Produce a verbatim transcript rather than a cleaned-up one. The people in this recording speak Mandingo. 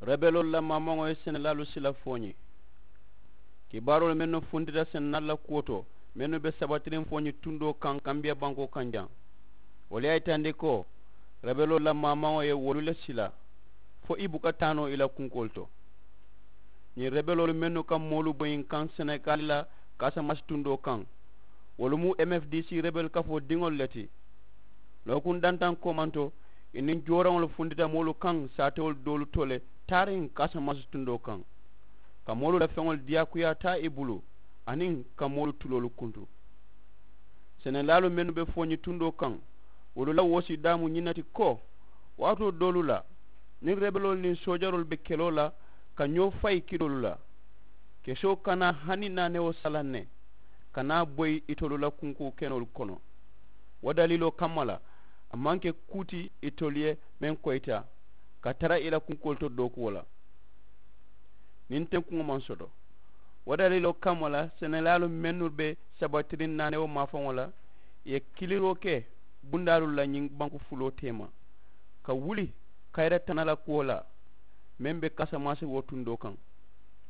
Rebeloolu la maamaŋo ye senelaalu sila fooñi. Kibaaroolu mennu funtita senelaalu la kuwo to, mennu be sabatiriŋ fooñi tundoo kaŋ kambiya bankoo kaŋ jaŋ, wolu ye a yitandi ko rebeloolu la maamaŋo ye wolu le sila fo i buka taa noo i la kunkoolu to. Ñiŋ rebeloolu mennu ka moolu boyiŋ kaŋ senegali la kaasamasi tundoo kaŋ, wolu mu m f d c rebel kafoo diŋolu le ti. Lookuŋ dantaŋ koomanto, i niŋ jooraŋolu funtita moolu kaŋ saatewolu doolu to le taariŋ kaasamasi tundoo kaŋ, ka moolu la feŋolu diyaakuyaa taa i bulu aniŋ ka moolu tuloolu kuntu. Senelaalu mennu be fooñi tundoo kaŋ, wolu la woosi daamu ñiŋ ne ti ko waatoo doolu la, niŋ rebeloolu niŋ soojaroolu be keloo la ka ñoo fayi kiloolu la, kesoo kana hani naanewo salaŋ ne, kana boyi itolu la kunkoo kenoolu kono. Wo daliiloo kamma la, a maŋ ke kuu ti itolu ye meŋ koyita ka tara i la kunkoolu to dookuwo la. Niŋ tenkuŋo maŋ soto, wo daliiloo kamma la senelaalu mennu be sabatiriŋ naanewo maafaŋo la, i ye kiliroo ke bundaalu la ñiŋ banku fuloo teema ka wuli kayira tana la kuwo la, meŋ be kasamasi wo tundoo kaŋ.